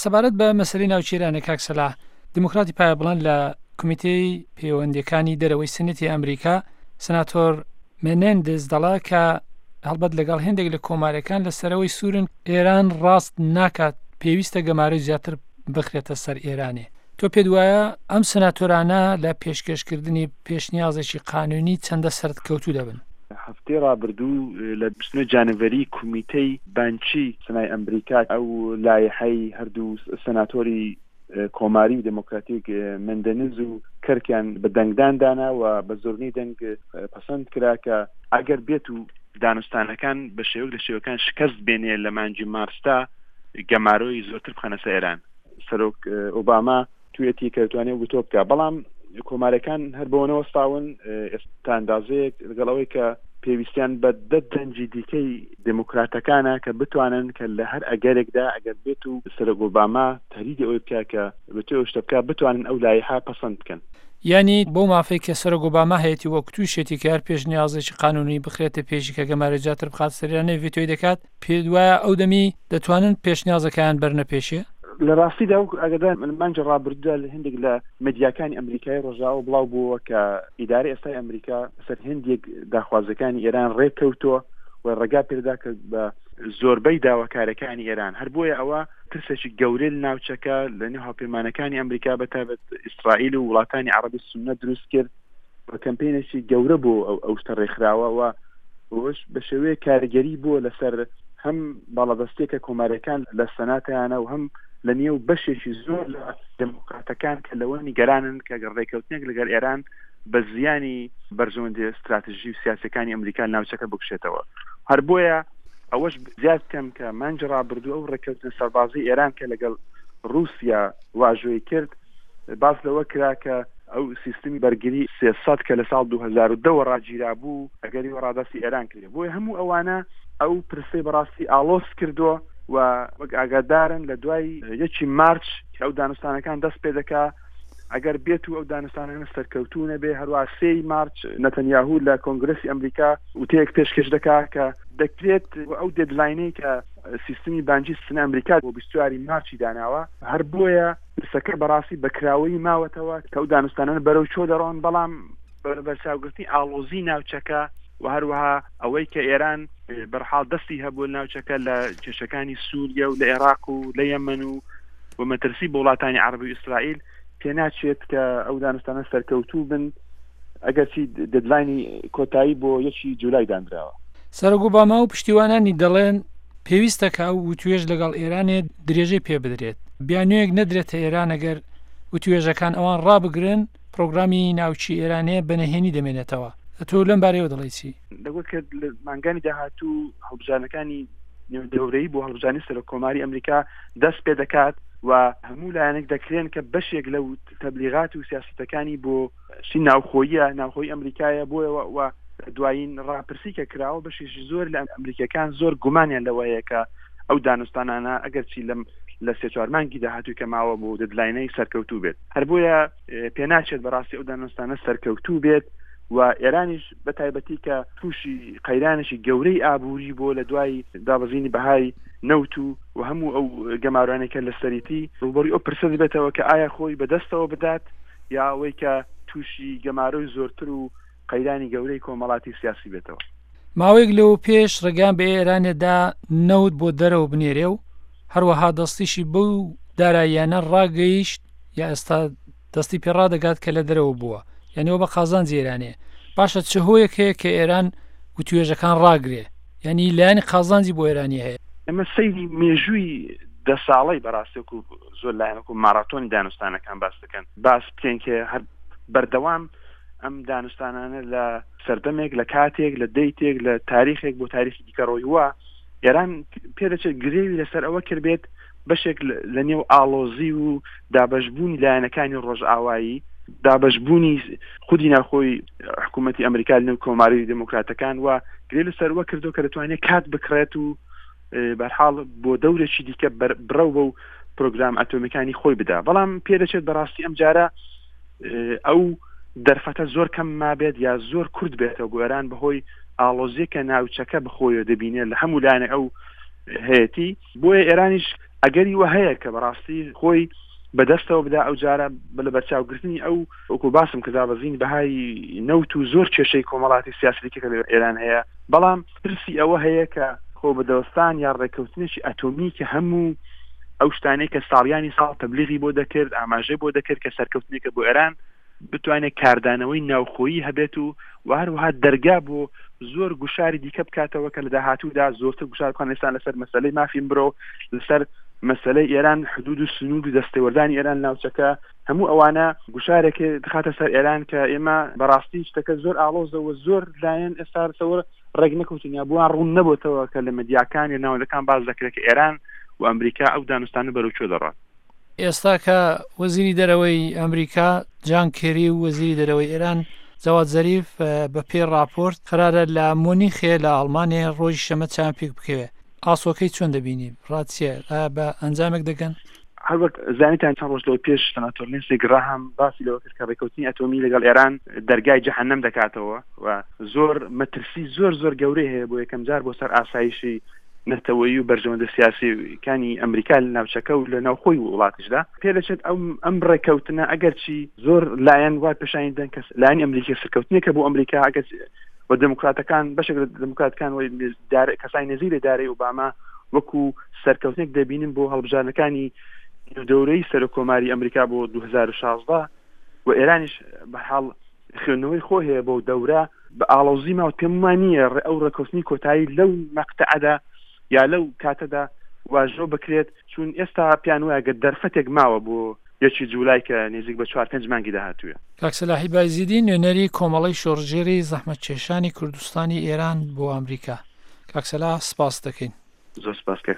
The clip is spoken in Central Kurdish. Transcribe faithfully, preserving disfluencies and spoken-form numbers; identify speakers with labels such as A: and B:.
A: سەبارەت بە مەسەلەی ناوچەی ئێرانە کاک سەلاح، دیموکراتی پایەبڵند لە کۆمیتەی پەیوەندیەکانی دەرەوەی سنەتی ئەمریکا سناتۆر مێنێندز دەڵێ کە هەڵبەت لەگەڵ هێندێک لە کۆمارەکان لەسەرەوەی سوورن ئێران ڕاست ناکات، پێویستە گەمارۆی زیاتر بخرێتە سەر ئێرانێ. تۆ پێت وایە ئەم سناتۆرانە لە پێشکەشکردنی پێشنیازێکی قانونی چەندە سەرکەوتوو دەبن؟
B: هەفتەی ڕابردوو لە بیست و نۆ جانوری کومیتەی بانکی سنای ئەمریکا ئەو لایحەی هەردوو سناتۆری کۆماری و دێموکراتیک مندنز و کەرکیان بە دەنگدان دانا و بە زۆرینەی دەنگ پەسەند کرا کە ئەگەر بێت و دانوستانەکان بە شێوەک لە شێوەکان شکست بێنێ لە مانگی مارسدا گەمارۆی زۆرتر بخەنە سەر ئێران. سەرۆک ئۆباما توێتی کە دەتوانێت وتۆ بکە، بەڵام کۆمارەکان هەر بەوە نەوەستاون. ئێستا ئەندازەیەک لەگەڵ ئەوەی کە پێویستیان بە دە دەنگی دیکەی دێموکراتەکانە کە بتوانن کە لە هەر ئەگەرێکدا ئەگەر بێت و سەرۆک ئۆباما تهدیدی ئەوەی بکە کە بتوێ ئەو شتە بکە بتوانن ئەو لایحە پەسەند بکەن.
A: یعنی بۆ مافەی کە سەرۆک ئۆباما هەیەی وەک تووشێتی کە هەر پێشنیازێکی قانونی بخرێتە پێشی کە گەمارۆی زیاتر بخات سەریانە ڤیتۆی دەکات، پێت وایە ئەو دەمی دەتوانن پێشنیازەکەیان بەرنە پێشێ؟
B: لە ڕاستیدا وەکو ئاگادار مانگی ڕابردوودا لە هەندێک لە مێدیاکانی ئەمریکای ڕۆژاوا بڵاو بووەوە کە ئیدارە ئێستای ئەمریکا سەر هەندێک داخوازەکانی ئێران ڕێککەوتووە و ڕێگا پێدا کە بە زۆربەی داواکارەکانی ئێران. هەر بۆیە ئەوە ترسێکی گەورەی لە ناوچەکە لە نێو هاوپەیمانەکانی ئەمریکا بە تایبەت ئیسرائیل و وڵاتانی عەرەبی سوننە دروست کرد و کەمپینێکی گەورە بۆ ئەو شتە ڕێکخراوە و ئەوەش بە شێوەیەک کاریگەری بووە لەسەر هەم باڵادەستیەکە کۆماریەکان لە سەناتیانە و هەم لە نێو بەشێکی زۆر لە دێموکراتەکان کە لەوە نیگەرانن کە ڕێککەوتنێک لەگەڵ ئێران بە زیانی بەرژەوەندی استراتژی و سیاسەکانی ئەمریکا ناوچەکە بکشێتەوە. هەر بۆیە ئەوەش زیاد بکەم کە مانگی ڕابردوو ئەو ڕێککەوتنە سەربازی ئێران کە لەگەڵ رووسیا واژۆی کرد باس لەوە کرا کە ئەو سیستمی بەرگری سێ سەد کە لە ساڵ دوو هەزار و دە ڕاگیرا بوو ئەگەری ڕادەستی ئێران کرد. بۆیە هەموو ئەوانە ئەو پرسەی بەڕاستی ئاڵۆز کردووە و وەک ئاگادارن لە دوای یەکی مارچ کە ئەو دانوستانەکان دەست پێ دەکا ئەگەر بێت و ئەو دانوستانانە سەرکەوتوو نەبێ، هەروە سێی مارچ نەتەنیاهو لە کۆنگرسی ئەمریکا وتەیەک پێشکەش دەکا کە دەکرێت ئەو دێدلاینەی کە سیستمی بانکی سنە ئەمریکا بۆ بیست و چواری مارچی داناوە. هەر بۆیە پرسەکە بەڕاستی بەکراوەیی ماوەتەوە کە ئەو دانوستانانە بەرەو چۆ دەڕۆن، بەڵام بەرچاوگرتنی ئاڵۆزی ناوچەکە و هەروەها ئەوەی کە ئێران بەرحاڵ دەستی هەبوو ناوچەکە لە کێشەکانی سووریە و لە عێراق و لە یەمەن و و مەترسی بۆ وڵاتانی عەرەبی و ئیسرائیل پێناچێت کە ئەو دانوستانە سەرکەوتوو بن، ئەگەرچی دێدلاینی کۆتایی بۆ یەکی جولای دانراوە.
A: سەرۆک ئۆباما و پشتیوانانی دەڵێن پێویستە کە ئەو وتوێژ لەگەڵ ئێرانێ درێژەی پێ بدرێت، بیانوویەک نەدرێتە ئێران ئەگەر وتوێژەکان ئەوان ڕابگرن پرۆگرامی ناوچی ئێرانێ بەنەهێنی دەمێنێتەوە. تۆ لەم بارەیەوە دەڵێی چی؟
B: لەگەڵ کە لە مانگانی داهاتوو هەڵبژاردنەکانی نێودەورەیی بۆ هەڵبژاردنی سەرۆک کۆماری ئەمریکا دەست پێ دەکات و هەموو لایەنێک دەکرێن کە بەشێک لەو تەبلیغات و سیاسەتەکانی بۆ شتی ناوخۆیە ناوخۆی ئەمریکایە بۆیەوە و دوایین ڕاپرسی کە کراوە بەشێکی زۆر لە ئەمریکیەکان زۆر گومانیان لەوە هەیە کە ئەو دانوستانانە ئەگەرچی لەم لە سێ چوار مانگی داهاتووی کە ماوە بۆ دەدلاینەی سەرکەوتوو بێت. هەر بۆیە پێناچێت بەڕاستی ئەو دانوستانە سەرکەوتوو بێت و ئێرانیش بە تایبەتی کە تووشی قەیرانێکی گەورەی ئابووری بۆ لە دوای دابەزینی بەهای نەوت و و هەموو ئەو گەمارۆیانەی کە لەسەریتی ڕووبەڕووی ئەو پرسە دەبێتەوە کە ئایا خۆی بەدەستەوە بدات یا ئەوەی کە تووشی گەمارۆی زۆرتر و قەیرانی گەورەی کۆمەڵاتی سیاسی بێتەوە.
A: ماوەیەک لەوە پێش ڕێگان بە ئێرانێدا نەوت بۆ دەرەوە بنێرێ و هەروەها دەستیشی بەو داراییانە ڕاگەیشت یا ئێستا دەستی پێ ڕادەگات کە لە دەرەوە بووە، یعنی ئەوە بە قازانجی ئێرانەیە. باشە چه هۆیەک هەیە کە ئێران وتوێژەکان ڕاگرێ؟ یعنی لایەنی قازانجی بۆ ئێرانی هەیە.
B: ئێمە سەیری مێژووی دە ساڵەی بەڕاستی وەکو زۆر لایەن وەکو ماراتۆنی دانوستانەکان باس دەکەن، باس بکەین کە هەر بەردەوام ئەم دانوستانانە لە سەردەمێک، لە کاتێک، لە دەیتێک، لە تاریخێک بۆ تاریخی دیکە ڕۆیوە. ئێران پێدەچێت گرێوی لەسەر ئەوە کرد بێت بەشێک لە نێو ئاڵۆزی و دابەشبوونی لایەنەکانی ڕۆژئاوایی، دابەشبوونی خودی ناوخۆی حکوومەتی ئەمریکا لەنێو کۆماری دێموکراتەکان و گرێ لەسەر ئەوە کردو کە دەتوانێت کات بکڕێت و بەرحاڵ بۆ دەورێکی دیکە بڕەو بەو پرۆگرام ئەتۆمیەکانی خۆی بدا. بەڵام پێدەچێت بەڕاستی ئەم جارە ئەو دەرفەتە زۆر کەم مابێت یا زۆر کورت بێتەوە بۆ ئێران بەهۆی ئاڵۆزیەکە ناوچەکە بخۆیەوە دەبینێت لە هەموو لایەنێک ئەو هەیەتی. بۆیە ئێرانیش ئەگەری وە هەیە کە بەڕاستی خۆی بەدەستەوە بدا ئەو جارە بە لەبەرچاوگرتنی ئەو وەکو باسم کە دابەزینی بەهای نەوت و زۆر کێشەی کۆمەڵاتی سیاسی دیکە کە لە ئێران هەیە، بەڵام ترسی ئەوە هەیە کە خۆ بەدەستان یا ڕێککەوتنێکی ئەتۆمی کە هەموو ئەو شتانەی کە ساڵیانی ساڵ تەبلیغی بۆ دەکرد، ئاماژەی بۆ دەکرد کە سەرکەوتنێکە بۆ ئێران، بتوانێت کاردانەوەی ناوخۆیی هەبێت و و هەروەها دەرگا بۆ زۆر گوشاری دیکە بکاتەوە کە لە داهاتوودا زۆرتر گوشار بخەن ئێستا لەسەر مەسەلەی مافی مرۆ، لەسەر مەسەلەی ئێران، حدود و سنوور و دەستێوەردانی ئێران ناوچەکە، هەموو ئەوانە گوشارێک دەخاتە سەر ئێران کە ئێمە بەڕاستی شتەکە زۆر ئاڵۆزە و زۆر لایەن ئێستا لەسەر ڕێک نەکەوتون یا بۆیان ڕوون نەبۆتەوە کە لە مەدیاکان یا ناوەندەکان باس دەکرێت کە ئێران و ئەمریکا ئەو دانوستانە بەرەو کوێ دەڕات.
A: ئێستا کە وەزیری دەرەوەی ئەمریکا جان کێری و وەزیری دەرەوەی ئێران جەواد زەریف بە پێی ڕاپۆرت قەرارە لە مونیخێ لە ئەڵمانیا ڕۆژی شەمە چاویان پێک بکەوێ، ئاسۆکەی چۆن دەبینی؟ ڕات چییە؟ ئایا بە ئەنجامێک دەگەن؟
B: هەروەک زانیتان چەند ڕۆژ لەوە پێش سناتۆر لینسی گراهام باسی لەوە کرد کە ڕێککەوتنی ئەتۆمی لەگەڵ ئێران دەرگای جەهەنەم دەکاتەوە و زۆر مەترسی زۆر زۆر گەورەی هەیە بۆ یەکەم جار بۆ سەر ئاسایشی نەتەوەیی و بەرژەوەندە سیاسیەکانی ئەمریکا لە ناوچەکە و لە ناوخۆی وڵاتیشدا. پێدەچێت ئەو ئەم ڕێککەوتنە ئەگەرچی زۆر لایەن وای پێشانی دەن کە لایەنی ئەمریکی سەرکەوتنێکە بۆ ئەمریکا، ئەگەر و دێموکراتەکان بەشێک لە دێموکراتەکان و کەسانی نزیک لە ئیدارەی ئۆباما وەکو سەرکەوتنێک دەبینن بۆ هەڵبژاردنەکانی دەورەی سەرۆک کۆماری ئەمریکا بۆ دوو هەزار و شازدە و ئێرانیش بە حاڵ خوێندنەوەی خۆ هەیە بۆ دەورە بە ئاڵۆزی ماوە. پێم وان نییە ئەو ڕێککەوتنی کۆتایی لەو مەقتەعەدا یا لەو کاتەدا واژۆ بکرێت، چون ئێستا پێیان وایە گەر دەرفەتێک ماوە بۆ یەکی جولای کە نزیک بە چوار پێنج مانگی داهاتوویە.
A: کاک سەلاحی بایزیدی نوێنەری کۆمەڵەی شۆڕشگێڕی زەحمەتکێشانی کوردستانی ئێران بۆ ئەمریکا. کاک سەلاح سپاست دەکەین.
B: زۆر سپاس کاک